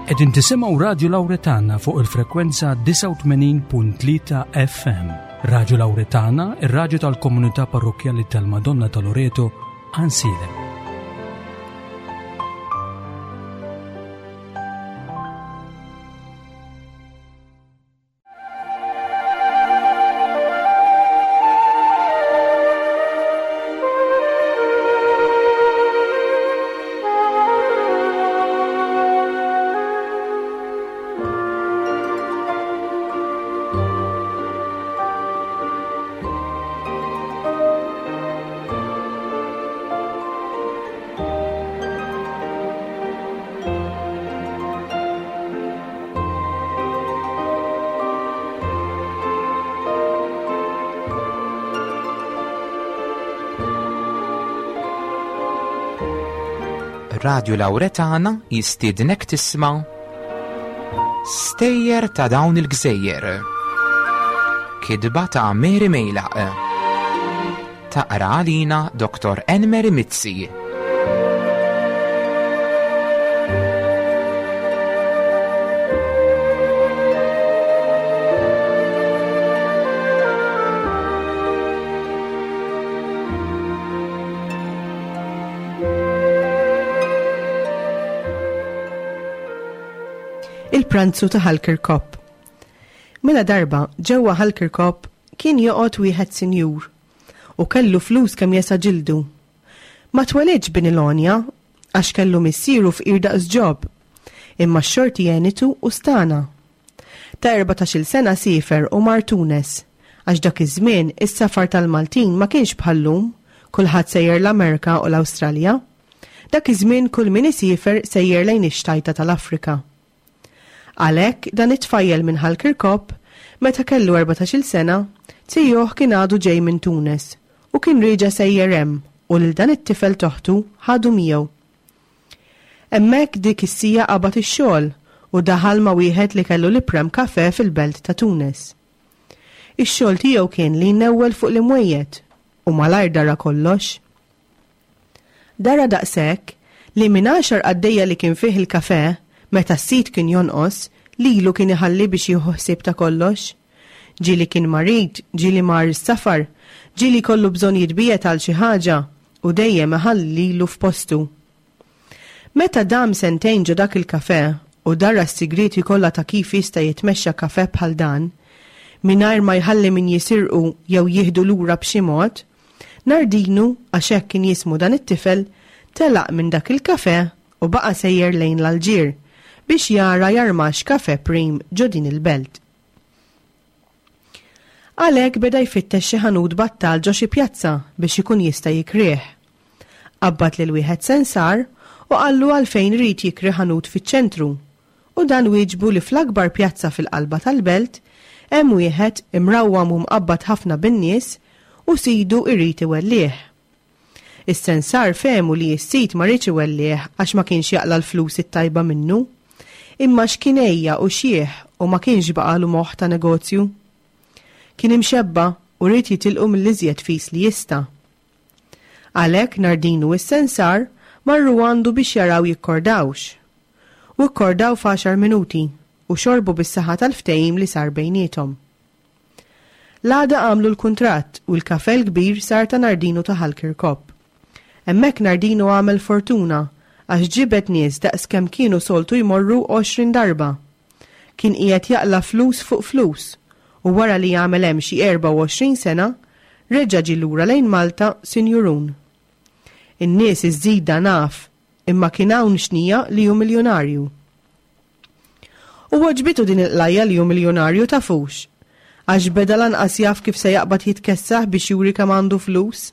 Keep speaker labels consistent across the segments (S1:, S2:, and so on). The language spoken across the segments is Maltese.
S1: Qegħdin tisimgħu Radju Lawretana fuq il-frekwenza 89.3 FM. Radju Lawretana, ir-radju tal-komunità parrokkjali tal-Madonna ta' Loreto, Ansilem.
S2: Radio Lauretana jistiednek tisma' Stejjer ta' dawn il-gżejjer. Kidba ta' Mary Mejlaq. Taqra għalina Dr. Enmeri Mizzi.
S3: Il-pranzu ta' Ħal Kirkop. Mela darba ġewwa Ħal Kirkop kien joqgħod wieħed sinjur u kellu flus kemm jesa' ġildu. Ma twelidx bin il-għonja għax kellu missieru fqir daqs Ġob, imma x-xorti għenitu u stagħna. Ta' erbatax-il sena siefer u mar Tunes, għax dak iż-żmien is-safar tal-Maltin ma kienx bħal-lum, kulħadd sejjer l-Amerka u l-Awstralja. Dak iż-żmien kull min isiefer sejjer lejn ix-xtajta tal-Afrika. Għalhekk dan it-tfajjel minn Ħal Kirkop, meta kellu erbatax-il sena, zijuh kien għadu ġej minn Tunes u kien rieġa' sejjer hemm u lil dan it-tifel t'oħtu ħadu miegħu. Hemmhekk dik is-siegħa qabad ix-xogħol u daħal ma' wieħed li kellu l-iprem kafè fil-belt ta' Tunes. Ix-xogħol tiegħu kien li jnewwel fuq l-imwejjed u malajr dara kollox. Dara daqshekk li minn għaxar qaddejja li kien fih il-kafè, meta s-sid kien jonqos, lilu kien iħalli biex jieħu ħsieb ta' kollox. Ġieli kien marid, ġieli mar is-safar, ġieli jkollu bżonn jitbiegħed għal xi ħaġa u dejjem iħalli lilu f'postu. Meta dam sentejn ġo dak il-kafè u dara s-sigrieti kollha ta' kif jista' jitmexxa kafè bħal dan, mingħajr ma jħalli min jisirqu jew jieħdu lura b'xi mod, Nardinu, għax hekk kien jismu dan it-tifel, telaq minn dak il-kafè u baqa' sejjer lejn l-Alġier biex jara jarmax kafè prim ġo din il-belt. Għalhekk beda jfittex xi ħanut battal ġo xi pjazza biex ikun jista' jikrih. Qabbad lil wieħed sensar u qallu għalfejn ried jikri ħanut fiċ-ċentru u dan wieġbu li fl-akbar pjazza fil-qalba tal-belt hemm wieħed imrawwam u mqabbad ħafna bin-nies u sidu jrid iwellih. Is-sensar fehmu li s-sid ma riedx iwellih għax ma kienx jaqla' l-flus it-tajba minnu, imma għax kien għejja u xiħ u ma kienx baqagħlu moħħ ta' negozju. Kien imxebba' u ried jitilqu mill-iżjed fis li jista'. Għalhekk Nardinu u s-sensar marru għandu biex jaraw jikkordawx. U kkordaw f'għaxar minuti u xorbu bis-saħħa tal-ftehim li sar bejniethom. L-għada għamlu l-kuntratt u l-kafè l-kbir sar ta' Nardinu ta' Ħal Kirkop. Hemmhekk Nardinu għamel fortuna għax ġibed nies daqs kemm kienu soltu jmorru 20 darba. Kien qiegħed jaqla' flus fuq flus u wara li għamel hemm xi 24 sena, reġa' ġie lura lejn Malta sinjurun. In-nies iż-żida naf, imma kien hawn xnija li hu miljunarju. U għoġbitu din il-qlajja li hu miljunarju tafux. Għax beda lanqas jaf kif se jaqbad jitkessaħ biex juri kemm għandu flus.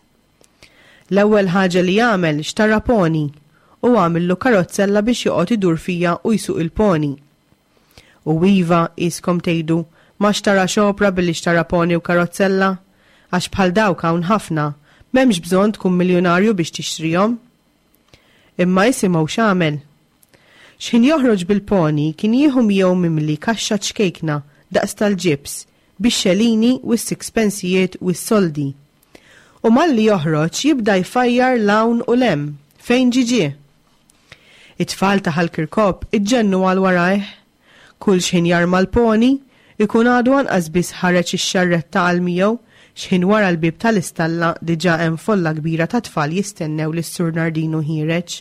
S3: L-ewwel ħaġa li għamel xtara pony u għamillu karozzella biex joqgħod idur fija u jsuq il-pony. U iva, qiskom tgħidu, ma xtarax opra billi xtara pony u karozzella? Għax bħal dawk hawn ħafna, m'hemmx bżonn tkun miljunarju biex tixtrihom. Imma isimgħu x'għamel. X'ħin joħroġ bil-pony kien jieħu miegħu mimli kaxxa ċkejkna daqs tal-ġibs bix-xelini u s-sixpensijiet u s-soldi. U malli joħroġ jibda jfajjar 'l hawn u 'l hemm, fejn ġie ġie. It-tfal ta' Ħal Kirkop iġġennu għal warajh. Kull xħin jarma l-poni, ikun għadu anqas biss ħareġ ix-xarretta għal miegħu, xħin wara l-bieb tal-istalla diġà hemm folla kbira ta' tfal jistennew lis-Sur Nardinu ħiereġ.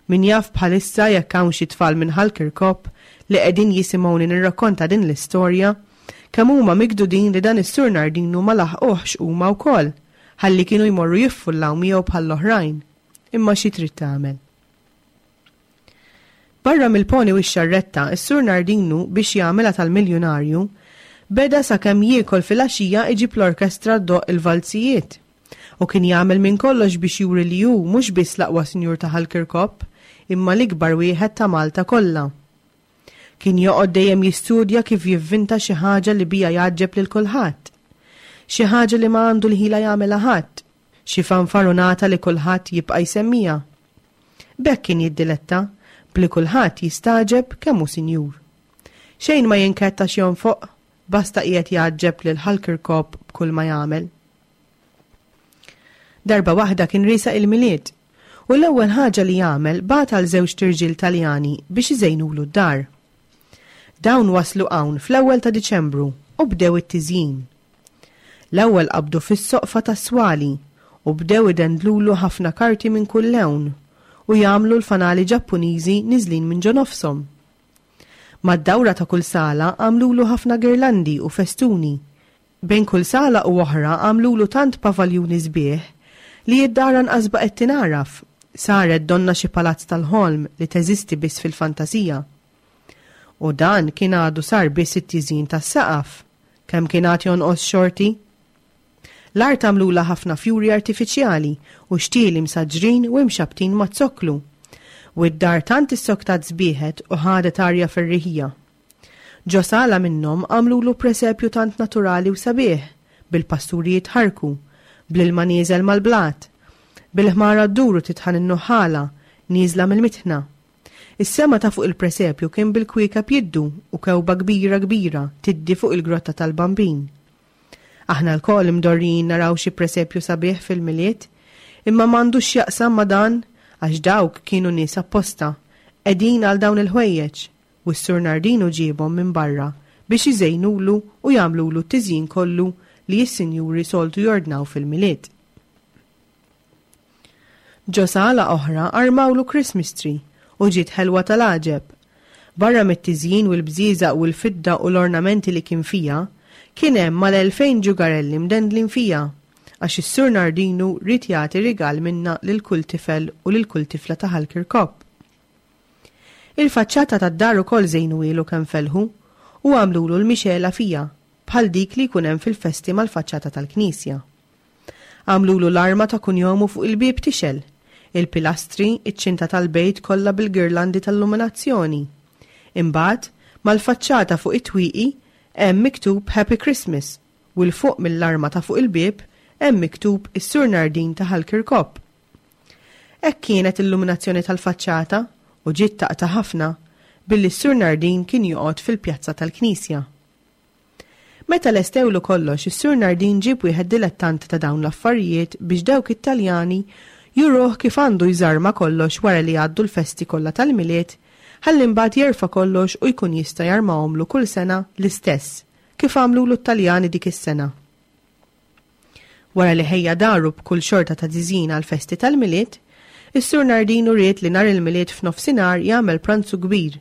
S3: Min jaf bħalissa jekk hawn xi tfal minn Ħal Kirkop li qegħdin jisimgħuni nirrakkonta din l-istorja, kemm huma mikdudin li dan is-Sur Nardinu ma laħquhx huma wkoll, ħalli kienu jmorru jiffullaw miegħu bħall-oħrajn. Imma xi trid tagħmel? Barra mill-poni u x-xarretta, is-Sur Nardinu biex jagħmilha tal-miljunarju, beda sakemm jiekol filgħaxija iġib l-orkestra ddoqq il-valzijiet. U kien jagħmel minn kollox biex juri li hu mhux biss l-aqwa sinjur ta' Ħal Kirkop, imma l-ikbar wieħed ta' Malta kollha. Kien joqgħod dejjem jistudja kif jivvinta xi ħaġa li biha jgħaġġeb lil kulħadd. Xi ħaġa li ma għandu l-ħila jagħmilha ħadd. Xi fanfarunata li kulħadd jibqa' jsemmiha. B'hekk kien jiddiletta, b'li kulħadd jistagħġeb kemm hu sinjur. Xejn ma jinkedd għax jonfoq, basta qiegħed jgħaġġeb lil Ħal Kirkop b'kull ma jagħmel. Darba waħda kien riesaq il-Milied, u l-ewwel ħaġa li għamel bagħat għal żewġt irġiel Taljani biex iżejnulu d-dar. Dawn waslu hawn fl-ewwel ta' Diċembru u bdew it-tiżjin. L-ewwel qabdu fis-soqfa tas-swali u bdew idendlulu ħafna karti minn kull lewn u jagħmlu l-fanali Ġappuniżi niżlin minn ġo nofshom. Mad-dawra ta' kull sala għamlulu ħafna girlandi u festuni. Bejn kull sala u oħra għamlulu tant pavaljuni sbieħ li d-dar anqas baqgħet tingħaraf, saret donnha xi palazz tal-ħolm li teżisti biss fil-fantasija. U dan kien għadu sar biss it-tiżjin tas-saqaf. Kemm kien għad jonqos xorti? L-art għamlulha ħafna fjuri artifiċjali u xtieli msaġġrin u imxabbtin maz-zokklu. U d-dar tant issoktat sbieħet u ħadet arja ferriħija. Ġo sala minnhom għamlulu presepju tant naturali u sabiħ, bil-pasturi jitħarrku, bl-ilma nieżel mal-blat, bil-ħmara ddur u titħan in-nuħħala nieżla mill-mitħna. Is-sema ta' fuq il-presepju kien bil-kwiekeb jiddu u kewba kbira kbira tiddi fuq il-grotta tal-Bambin. Aħna lkoll imdorrijin naraw xi presepju sabiħ fil-Milied, imma m'għandux x'jaqsam ma' dan għax dawk kienu nies apposta, qegħdin għal dawn il-ħwejjeġ, u s-Sur Nardinu ġiebhom minn barra biex iżejnulu u jagħmlulu t-tiżjin kollu li s-sinjuri soltu jordnaw fil-Milied. Ġo sala oħra armawlu Christmas tree u ġiet ħelwa tal-għaġeb. Barra mit-tiżjin u l-bżieżaq u l-fidda u l-ornamenti li kien fiha, kien hemm mal-2000 ġugarelli mdendlin fiha, għax is-Sur Nardinu ried jagħti rigal minnha lil kull tifel u lil kull tifla ta' Ħal Kirkop. Il-faċċata tad-dar ukoll żejnuhielu kemm felħu u għamlulu l-mixegħla fiha, bħal dik li jkun hemm fil-festi mal-faċċata tal-knisja. Għamlulu l-arma ta' kunjomu fuq il-bieb tixgħel, il-pilastri, iċ-ċinta tal-bejt kollha bil-girlandi tal-luminazzjoni. Imbagħad, mal-faċċata fuq it-twieqi hemm miktub Happy Christmas u 'l fuq mill-arma ta' fuq il-bieb hemm miktub is-Sur Nardin ta' Ħal Kirkop. Hekk kienet il-luminazzjoni tal-faċċata u ġiet taqta' ħafna billi s-Sur Nardin kien joqgħod fil-pjazza tal-knisja. Meta lestewlu kollox is-Sur Nardin ġieb wieħed dilettant ta' dawn l-affarijiet biex dawk it-Taljani juruh kif għandu jżarma kollox wara li jgħaddu l-festi kollha tal-Milied ħalli mbagħad jerfa' kollox u jkun jista' jarmahomlu kull sena l-istess kif għamlulu t-Taljani dik is-sena. Wara li ħejja daru b'kull xorta ta' tiżjin għall-festi tal-Milied, is-Sur Nardinu ried li nhar il-Milied f'nofsinhar jagħmel pranzu kbir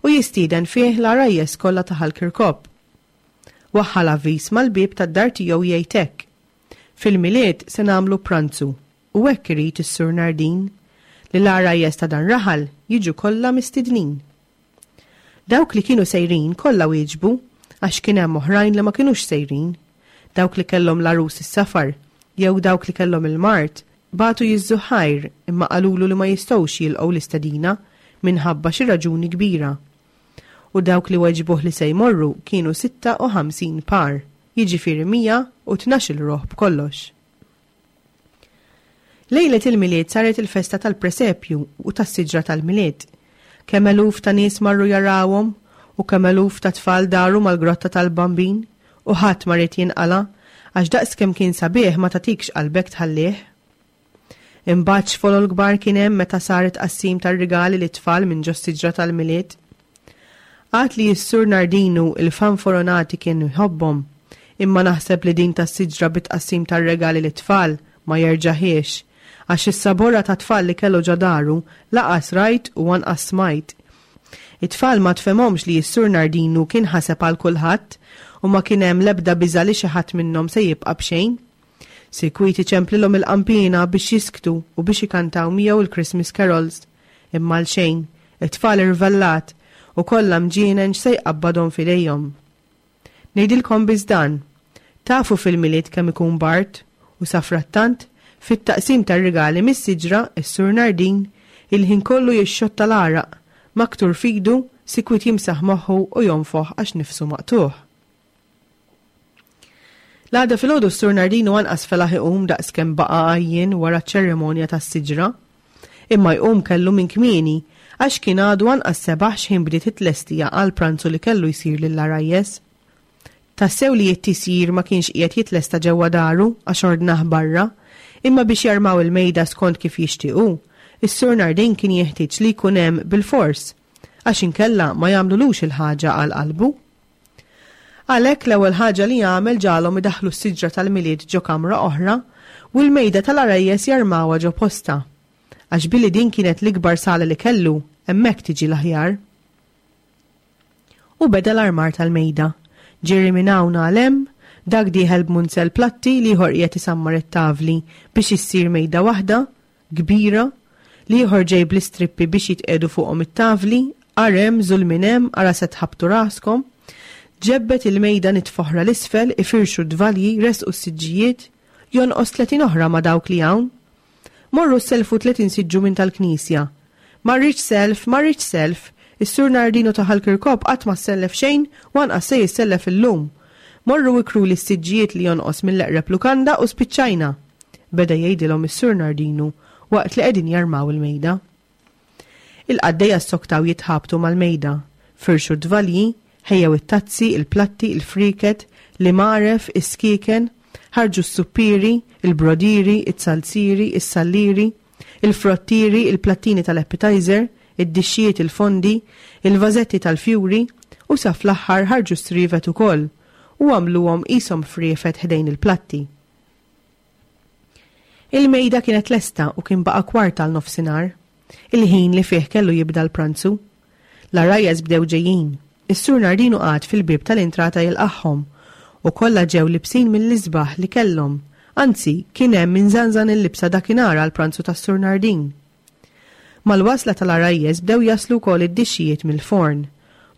S3: u jistieden fih l-għarajjes kollha ta' Ħal Kirkop. Waħħal avviż mal-bieb tad-dar tiegħu jgħid hekk, Fil-Milied se nagħmlu pranzu u hekk irid is-Sur Nardin, li l-għarajjes ta' dan raħal jiġu kollha mistednin. Dawk li kienu sejrin kollha wieġbu għax kien hemm oħrajn li ma kinux sejrin. Dawk li kellhom l-għarus is-safar jew dawk li kellhom il-mard bagħtu jiżżuh ħajr imma qalulu li ma jistgħux jilqgħu l-istedina minħabba xi raġuni kbira. U dawk li weġbuh li se jmorru kienu 56 par, jiġifieri 112-il ruħ b'kollox. Lejlet il-Milied saret il-festa tal-presepju u tas-siġra tal-Milied. Kemm eluf ta' nies marru jarawhom u kemm eluf ta' tfal daru mal-grotta tal-Bambin u ħadd ma ried jinqala' għax daqs kemm kien sabiħ ma tagħtikx qalbek tħallih. Imbagħad x'folol kbar kien hemm meta sar it-tqassim tar-rigali lit-tfal minn ġos-siġra tal-Milied. Għad li s-Sur Nardinu il-fanforonati kien jħobbhom, imma naħseb li din tas-siġra bit-tqassim tar-regali lit-tfal ma jerġahiex, għax is-saborra ta' tfal li kellu ġo daru laqas rajt u anqas smajt. It-tfal ma tfehmhomx li s-Sur Nardinu kien ħaseb għal kulħadd u ma kien hemm l-ebda biża' li xi ħadd minnhom se jibqa' b'xejn. Sikwit iċemplilhom il-qanpiena biex jisktu u biex ikantaw miegħu l-Christmas carols. Imma għalxejn, it-tfal irvellat u kollha mġienen x'se jqabbadhom f'idejhom. Ngħidilkom biss dan, tafu fil-Milied kemm ikun bard u safrattant, fit-taqsim tar-rigali mis-siġra, is-Sur Nardin, il-ħin kollu jixxotta l-għaraq, maktur f'idu, sikwit jimsaħ moħħu u jonfoħ għax nifsu maqtugħ. L-għada filgħodu s-Sur Nardinu anqas felaħ iqum daqs kemm baqa' għajjien wara ċ-ċerimonja tas-siġra. Imma jqum kellu minn kmieni, għax kien għadu anqas sebaħ x'ħin bdiet it-tlestija għall-pranzu li kellu jsir lill-għarajjes. Tassew li t-tisjir ma kienx qiegħed jitlesta ġewwa daru għax ordnah barra, imma biex jarmaw il-mejda skont kif jixtieq hu, is-Sur Nardin kien jeħtieġ li jkun hemm bilfors, għax inkella ma jagħmlulux il-ħaġa għal qalbu. Għalhekk l-ewwel ħaġa li għamel ġagħalhom idaħħlu s-siġra tal-Milied ġo kamra oħra u l-mejda tal-għarajjes jarmawha ġo postha. Għax billi din kienet l-ikbar sala li kellu, hemmhekk tiġi l-aħjar. U beda l-armar tal-mejda. Ġiri minn hawn għal hemm, dak dieħel b'munzell platti, l-ieħor qiegħed isammar it-tavli biex issir mejda waħda, kbira, l-ieħor ġej bl-istrippi biex jitqiegħdu fuqhom it-tavli, ara hemm, żul minn hemm, ara se tħabbtu raskom. Ġebbed il-mejda nitfa oħra 'l isfel, ifirxu d-dvalji, ressqu s-siġġijiet, jonqos 30 oħra ma' dawk li hawn. Morru ssellfu 30 siġġu minn tal-knisja. Ma rridx self, ma rridx self, is-Sur Nardino ta' Ħal Kirkop qatt ma ssellef xejn u anqas se jissellef illum. Morru ikruli s-siġġijiet li jonqos mill-eqreb lukanda u spiċċajna. Beda jgħidilhom is-Sur Nardinu waqt li qegħdin jarmaw il-mejda. Il-qaddejja ssoktaw jitħabtu mal-mejda, firxu d-dvalji, ħejjew it-tazzi, il-platti, il-frieket, l-imgħaref, is-skieken, ħarġu s-suppieri, il-brodieri, it-zalzieri, is-sallieri, il-frottieri, il-plattini tal-appetizer, id-dixxijiet il-fondi, il-vażetti tal-fjuri u sa fl-aħħar ħarġu s-srievet ukoll u għamluhom qishom friefet ħdejn il-platti. Il-mejda kienet lesta u kien baqa' kwart għal nofsinhar, il-ħin li fih kellu jibda l-pranzu. L-għarajjes bdew ġejjin. Is-Sur Nardinu qagħad fil-bieb tal-intrata jilqagħhom u kollha ġew libsin mill-isbaħ li kellhom, anzi kien hemm min żanżan il-libsa dakinhar għall-pranzu tas-Sur Nardin. Mal-wasla tal-għarajjes bdew jaslu wkoll id-dixxijiet mill-forn.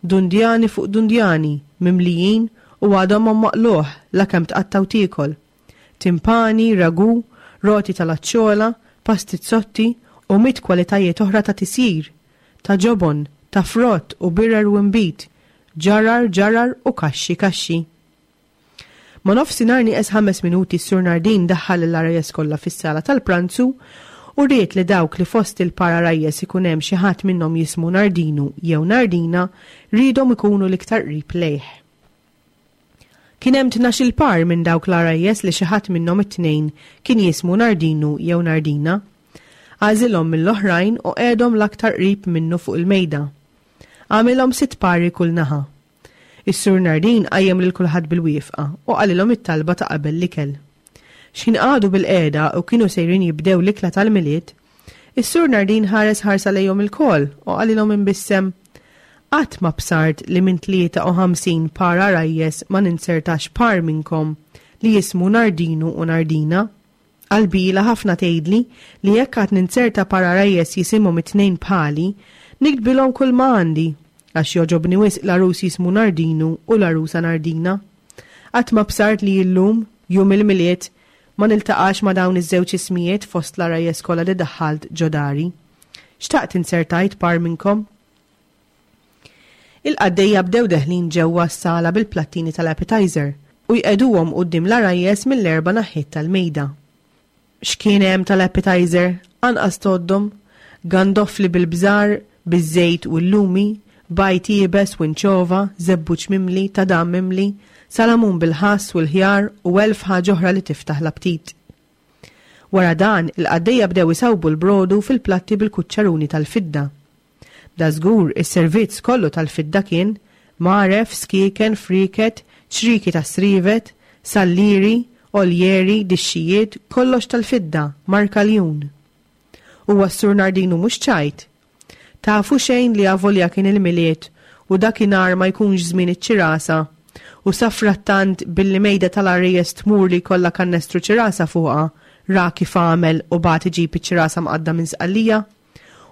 S3: Dundjani fuq dundjani, mimlijin u għadhomhom maqlugħ lakemm tqatta' u tiekol. Timpani, ragù, roti tal-aċċola, pastizzotti u mitt kwalitajiet oħra ta' tisjir, ta' ġobon, ta' frott u birer u nbid, ġarar ġarar u kaxxi kaxxi. Ma' nofsinhar nieqes ħames minuti s-Sur Nardin daħħal lill-għarajjes kollha fis-sala tal-pranzu u ried li dawk li fost il-par għarajjes ikun hemm xi ħadd minnhom jismu Nardinu jew Nardina riedhom ikunu l-iktar qrib lejh. Kien hemm tnax-il par minn dawk l-għarajjes li xi ħadd minnhom it-tnejn kien jismu Nardinu jew Nardina. Għażilhom mill-oħrajn u qegħedhom l-aktar qrib minnu fuq il-mejda. Għamilhom sitt pari kull naħa. Is-Sur Nardin qajjem lil kulħadd bil-wieqfa u qalilhom it-talba ta' qabel l-ikel. X'ħin qagħdu bilqiegħda u kienu sejrin jibdew l-ikla tal-Milied, is-Sur Nardin ħares ħarsa lejhom ilkoll u qalilhom imbissem, Qatt ma bsart li minn 53 par għarajjes ma ninzertax par minnkom li jismu Nardinu u Nardina. Qalbi ilha ħafna tgħidli li jekk għad ninzerta par għarajjes jisimhom it-tnejn bħali, niktbilhom kulma għandi, għax jogħġobni wisq l-għarus jismu Nardinu u l-għarusa Nardina. Qatt ma bsart li illum, Jum il-Milied, ma niltaqax ma' dawn iż-żewġ ismijiet fost l-għarajjes kollha li daħħalt ġo dari. Xtaqt inzertajt par minnkom. Il-qaddejja bdew deħlin ġewwa s-sala bil-plattini tal-appetizer u jqegħduhom quddiem l-għarajjes mill-erba' naħiet tal-mejda. X'kien hemm tal-appetizer, anqas tgħoddhom, gandofli bil-bżar, biż-żejt u l-lumi, bajd iebes u inċova, żebbuġ mimli, tadam mimli, salamun bil-ħass u l-ħjar u elf ħaġa oħra li tiftaħ l-aptit. Wara dan, il-qaddejja bdew isawbu l-brodu fil-platti bil-kuċċaruni tal-fidda. Dażgur, is-servizz kollu tal-fidda kien, mgħaref, skieken, frieket, ċrieki tas-srievet, sallieri, oljeri, dixxijiet, kollox tal-fidda, marka ljun. Huwa s-Sur Nardinu mhux ċajt. Tafu xejn li avolja kien il-Milied u dakinhar ma jkunx żmien iċ-ċirasa u safrattant billi mejda tal-għarajjes tmur li jkollha kannestru ċirasa fuqha ra kif għamel u bagħat iġib iċ-ċirasa mqadda minn Sqallija?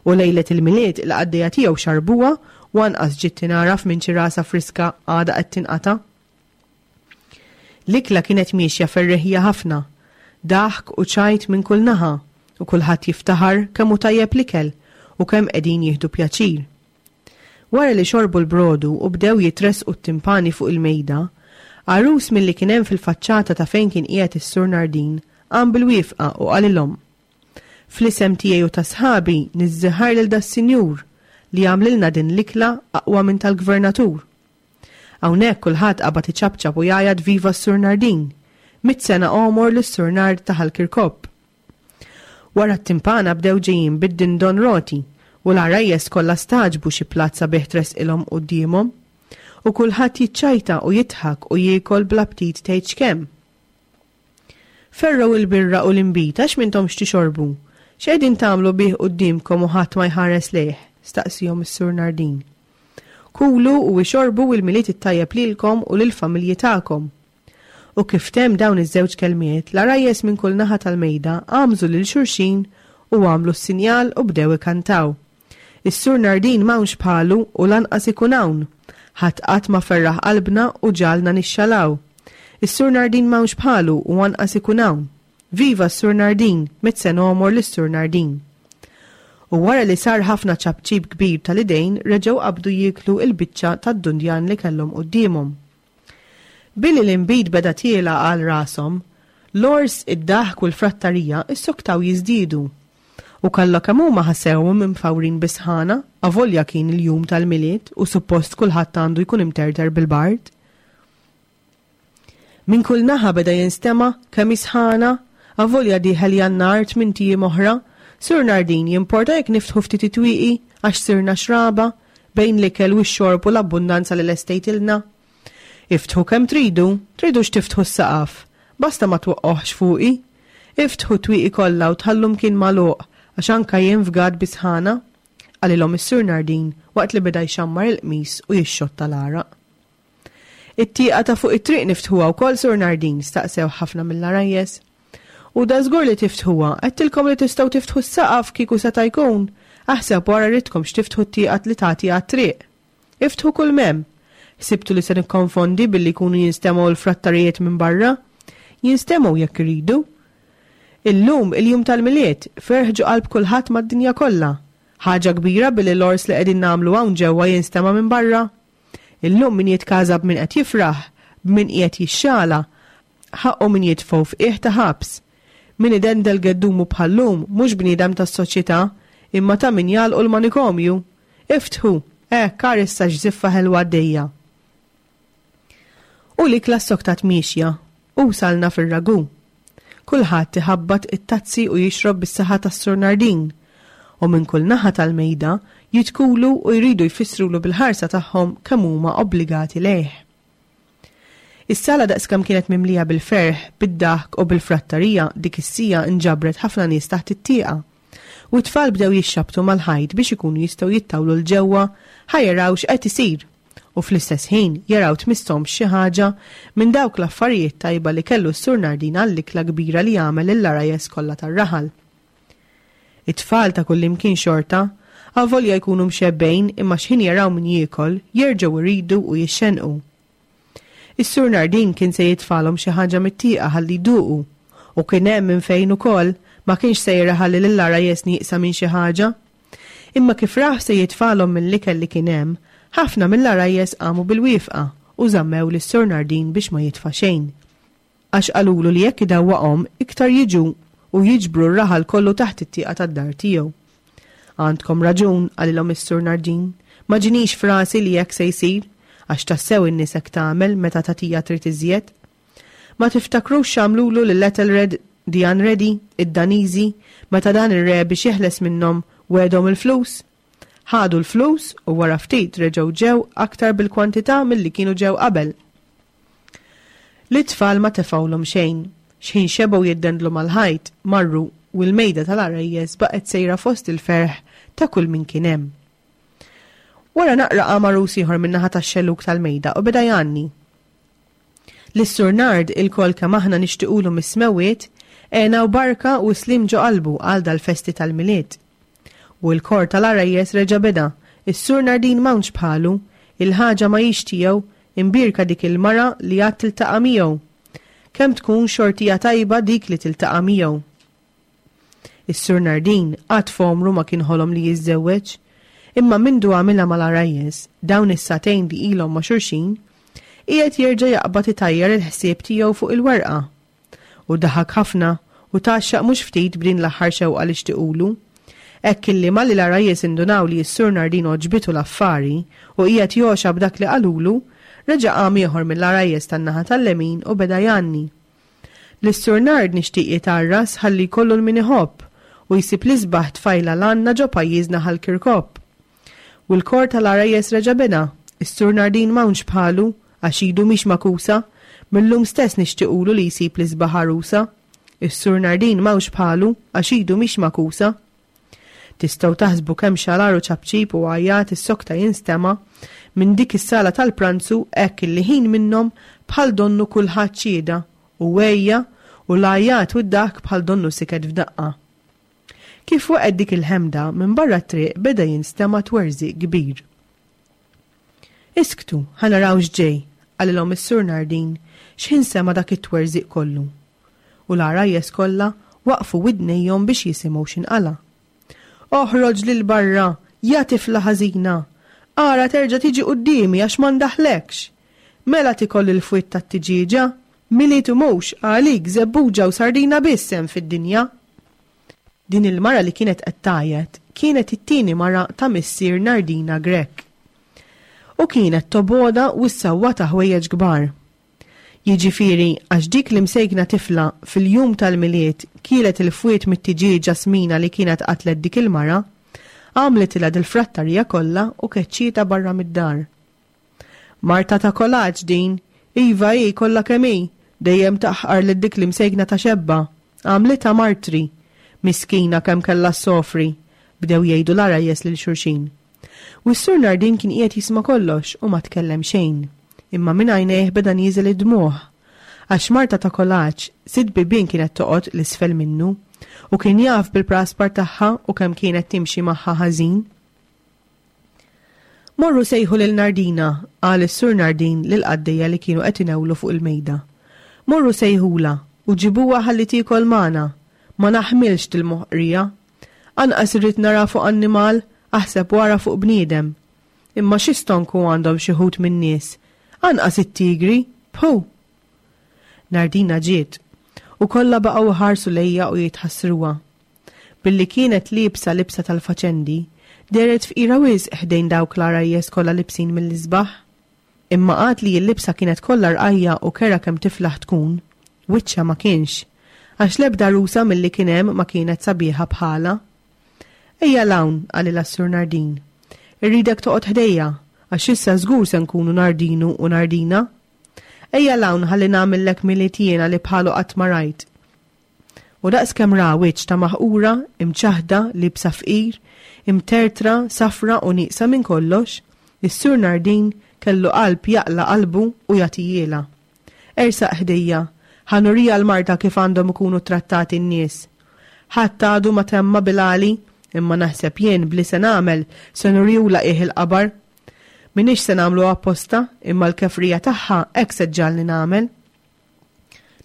S3: U lejlet il-Milied il-qaddejja tiegħu xarbuha u anqas ġiet tingħaraf minn ċirasa friska għadha qed tinqata'. L-ikla kienet miexja ferreħija ħafna. Daħk u ċajt minn kull naħa u kulħadd jiftaħar kemm hu tajjeb l-ikel u kemm qegħdin jieħdu pjaċir. Wara li xorbu l-brodu u bdew jitressqu t-timpani fuq il-mejda, għarus milli kien hemm fil-faċċata ta' fejn kien qiegħed is-Sur Nardin qam bil-wieqfa u qalilhom, Fl-isem tiegħi u ta' sħabi niżżiħar lil das-sinjur li għamlilna din l-ikla aqwa minn tal-gvernatur. Hawnhekk kulħadd qabad iċapċap u jgħajjat viva s-Sur Nardin! Mitt sena għomor lis-Sur Nard ta' Ħal Kirkop! Wara t-timpana bdew ġejjin bid-dindon roti u l-għarajjes kollha stagħġbu xi platt sabiħ tressqilhom quddiemhom. U kulħadd jiċċajta u jidħak u jiekol bl-aptit tgħidx kemm. Ferrgħu l-birra u l-inbid għax m'intomx tixorbu. X'qegħdin tagħmlu bih quddiemkom u ħadd ma jħares lejh? staqsiehom is-Sur Nardin. Kulu u ixorbu u l-Milied it-tajjeb lilkom u lill-familji tagħkom. U kif temm dawn iż-żewġ kelmiet, l-għarajjes minn kull naħa tal-mejda għamżu lil xulxin u għamlu s-sinjal u bdew ikantaw. Is-Sur Nardin m'hawnx bħalu u lanqas ikun hawn. Ħadd qatt ma ferraħ qalbna u ġagħalna nixxalaw. Is-Sur Nardin m'hawnx bħalu u anqas ikun hawn. Viva s-Sur Nardin, mit-sena għomor lis-Sur Nardin. U wara li sar ħafna ċapċip kbir tal-idejn reġgħu qabdu jieklu l-biċċa tad-dundjan li kellhom quddiemhom. Billi l-inbid beda tiela' għal rashom, l-għors, id-daħk u l-frattarija issoktaw jiżdiedu. U kollha kemm huma ħassewhom imfawrin bis-sħana, avolja kien il-jum tal-Milied u suppost kulħadd għandu jkun imterter bil-bard. Minn kull naħa beda jinstema' kemm hi sħana, avolja dieħel Jannar tmint ijiem oħra. Sur Nardin, jimporta jekk niftħu ftit it-twieqi għax sirna xraba, bejn l-ikel u x-xorb u l-abbundanza li lestejtilna? Iftħu kemm tridu, tridux tiftħu s-saqaf, basta ma twaqqgħuhx fuqi. Iftħu t-twieqi kollha u tħallu mkien magħluq għax anka jien fgat bis-sħana, qalilhom is-Sur Nardin waqt li beda jxammar il-qmis u jixxotta l-għaraq. It-tieqa ta' fuq it-triq niftħuha wkoll, Sur Nardin? staqsew ħafna mill-għarajjes. U dażgur li tiftħuha, għedtilkom li tistgħu tiftħu s-saqaf kieku seta' jkun, aħseb wara ridtkomx tiftħu t-tieqa li tagħti għat-triq. Iftħu kull m'hemm. Ħsibtu li se nikkonfondi billi jkunu jinstemgħu l-frattarijiet minn barra? Jinstemgħu jekk iridu. Illum il-jum tal-Milied, ferħ ġo qalb kulħadd mad-dinja kollha. Ħaġa kbira billi l-għors li qegħdin nagħmlu hawn ġewwa jinstema' minn barra? Illum min jitkaża b'min qed jifraħ, b'min qiegħed jixxala, ħaqqu min jitfgħu f'qiegħ ta' ħabs. Min idendel geddumu bħal-lum mhux bniedem tas-soċjetà, imma ta' min jagħlqu l-manikomju. Iftħu! Hekk, ar issa x'żiffa ħelwa għaddejja! U l-ikla ssoktat miexja, u wsalna fir-ragù. Kulħadd iħabbat it-tazzi u jixrob bis-saħħa tas-Sur Nardin. U minn kull naħa tal-mejda jidkulu u jridu jfissrulu bil-ħarsa tagħhom kemm huma obbligati lejh. Is-sala daqskemm kienet mimlija bil-ferħ, bid-daħk u bil-frattarija dik is-siegħa nġabret ħafna nies taħt it-tieqa. U t-tfal bdew jixxabbtu mal-ħajt biex ikunu jistgħu jittawlu 'l ġewwa ħa jaraw x'qed isir u fl-istess ħin jaraw tmisshomx xi ħaġa minn dawk l-affarijiet tajba li kellu s-Sur Nardin għall-ikla kbira li għamel lill-għarajjes kollha tar-raħal. It-tfal ta' kullimkien xorta, avolja jkunu mxebbgħin imma x'ħin jaraw min jiekol, jerġgħu jridu u jixxennqu. Is-Sur Nardin kien se jitfagħlhom xi ħaġa mit-tieqa ħalli jduqu. U kien hemm minn fejn ukoll, ma kienx sejjer iħalli lill-għarajjes nieqsa minn xi ħaġa. Imma kif rah se jitfagħlhom mill-ikel li kien hemm, ħafna mill-għarajjes qamu bil-wieqfa u żammew lis-Sur Nardin biex ma jitfa' xejn. Għax qalulu li jekk idewwaqhom iktar jiġu u jiġbru r-raħal kollu taħt it-tieqa tad-dar tiegħu. Għandkom raġun, qalilhom is-Sur Nardin, ma ġinix f'rasi li hekk se jsir, għax tassew in-nies hekk tagħmel meta tagħtiha trid iżjed. Ma tiftakrux x'għamlulu lil Ethelred? The Unready, id-Daniżi, meta dan ir-re biex jeħles minnhom wegħedhom il-flus? Ħadu l-flus u wara ftit reġgħu ġew aktar bil-kwantità milli kienu ġew qabel. Lit-tfal ma tefgħulhom xejn. Xħin xebgħu jiddendlu mal-ħajt, marru u l-mejda tal-għarajjes baqgħet sejra fost il-ferħ ta' kull min kien hemm. Wara naqra qam għarus ieħor min-naħa tax-xellug tal-mejda u beda jgħanni. Lis-Sur Nard ilkoll kemm aħna nixtiqulu mis-smewwiet, hena u barka u sliem ġo qalbu għal dal-festi tal-Milied. U l-kor tal-għarajjes reġa' beda, Is-Sur Nardin m'hawnx bħalu, il-ħaġa ma hix tiegħu, imbierka dik il-mara li għad tiltaqa' miegħu. Kemm tkun xortija tajba dik li tiltaqa' miegħu. Is-Sur Nardin qatt f'għomru ma kien ħolom li jiżżewweġ. Imma mindu għamilha mal-għarajjes, dawn is-sagħtejn li ilhom ma' xulxin, qiegħed jerġa' jaqbad itajjar il-ħsieb tiegħu fuq il-werqa. U daħak ħafna u tgħaxxaq mhux ftit b'din l-aħħar xewqa li xtiqulu. Hekk illi malli l-għarajjes indunaw li s-Sur Nardin għoġbitu l-affari u qiegħed jogħxa b'dak li qalulu, reġa' qam ieħor mill-għarajjes tan-naħa tal-lemin u beda jgħanni. Lis-Sur Nard nixtieq jitgħarras ħalli jkollu 'l min iħobb u jsib l-isbaħ tfajla l-għandna ġo pajjiżna Ħal Kirkop. U l-kor tal-għarajjes reġa' beda, Is-Sur Nardin m'hawnx bħalu, għax idu mhix magħkusa, mil-lum stess nixtiqulu li jsib l-isbaħ għarusa. Is-Sur Nardin m'hawnx bħalu, għax idu mhix magħkusa. Tistgħu taħsbu kemm xalar u ċapċip u għajjat issokta jinstema' minn dik is-sala tal-pranzu hekk illi ħin minnhom bħal donnu kulħadd xhieda u għejja u l-għajjat u d-daħk bħal donnu siket f'daqqa. Kif waqgħet dik il-ħemda, minn barra t-triq beda jinstema' twerżiq kbir. Isktu, ħa naraw x'ġej, qalilhom is-Sur Nardin x'ħin sema' dak it-twerżiq kollu. U l-għarajjes kollha waqfu widnejhom biex jisimgħu x'inqala'. Oħroġ 'l barra, ja tifla ħażina! Ara terġa' tiġi quddiemi għax ma ndaħħlekx! Mela tikol il-fwied tat-tiġieġa? Milied u mhux, għalik żebbuġa u sardina biss hemm fid-dinja! Din il-mara li kienet qed tgħajjat kienet it-tieni mara ta' missier Nardina Grech. U kienet tobgħodha u ssawwatha ħwejjeġ kbar. Jiġifieri għax dik l-imsejkna tifla fil-jum tal-Milied kielet il-fwied mit-tiġieġa smina li kienet qatlet dik il-mara, għamlitilha dil-frattarija kollha u keċċietha barra mid-dar. Marta ta' kolaġġ din, iva hi kollha kemm hi, dejjem taħqar lil dik l-imsejkna ta' xebba. Għamlitha martri. Miskina kemm kellha ssofri! Bdew jgħidu l-għarajjes lil xulxin. U s-Sur Nardin kien qiegħed jisma' kollox u ma tkellem xejn. Imma minn għajnejh beda nieżel id-dmugħ. Għax Marta ta' Kolaċ, sitt bibien kienet toqgħod 'l isfel minnu, u kien jaf bil-praspar tagħha u kemm kienet timxi magħha ħażin. Morru sejħu lil Nardina, qal is-Sur Nardin lill-qaddejja li kienu qed inewlu fuq il-mejda. Morru sejħulha u ġibuha ħalli tiekol magħna. Ma naħmilx dil-moħqrija. Anqas irrid nara fuq annimal, aħseb u ara fuq bniedem. Imma xi stonku għandhom xi wħud min-nies. Anqas it-tigri! Phu! Nardina ġiet, u kollha baqgħu iħarsu lejha u jitħassruha. Billi kienet liebsa libsa tal-faċendi, dehret fqira wisq ħdejn dawk l-għarajjes kollha libsin mill-isbaħ. Imma għad li l-libsa kienet kollha rqajja' u kerha kemm tiflaħ tkun, wiċċha ma kienx, għax l-ebda għarusa milli kien hemm ma kienet sabiħa bħalha. Ejja 'l hawn, qalilha s-Sur Nardin. Irridek toqgħod ħdejja, għax issa żgur se nkunu Nardinu u Nardina. Ejja 'l hawn ħalli nagħmillek Milied jiena li bħalu qatt ma rajt. U daqs kemm ra wiċċ ta' maħqura, imċaħħda, liebsa fqir, imtertra, safra u nieqsa minn kollox, is-Sur Nardin kellu qalb jaqla' qalbu u jagħtihielha. Ersaq ħdejja, ħa nuriha l-marda kif għandhom ikunu ttrattati n-nies. Ħadd għadu ma temma bil-għali, imma naħseb jien b'li se nagħmel se nurihulha qiegħ il-qabar. M'iniex se nagħmlu apposta, imma l-kefrija tagħha hekk se ġġagħalni nagħmel.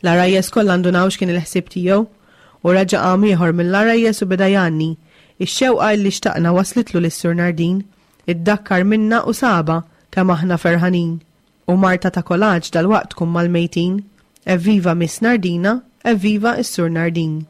S3: L-għarajjes kollha ndunaw x'kien il-ħsieb tiegħu, u reġa' qam ieħor mill-għarajjes u beda jgħanni, Ix-xewqa illi xtaqna waslitlu lis-Sur Nardin, iddakkar minna u sabha kemm aħna ferħanin. U Marta ta' Kolaġ dalwaqt tkun mal-mejtin. Evviva Miss Nardina, evviva s-Sur Nardin.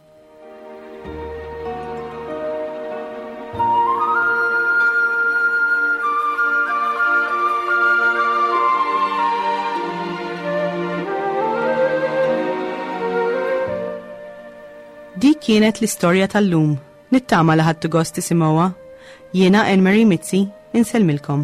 S3: kienet l-istorja tal-lum. Nittama li ħadtu gost tisimgħuha. Jiena Anne Marie Mizzi, insellmilkom.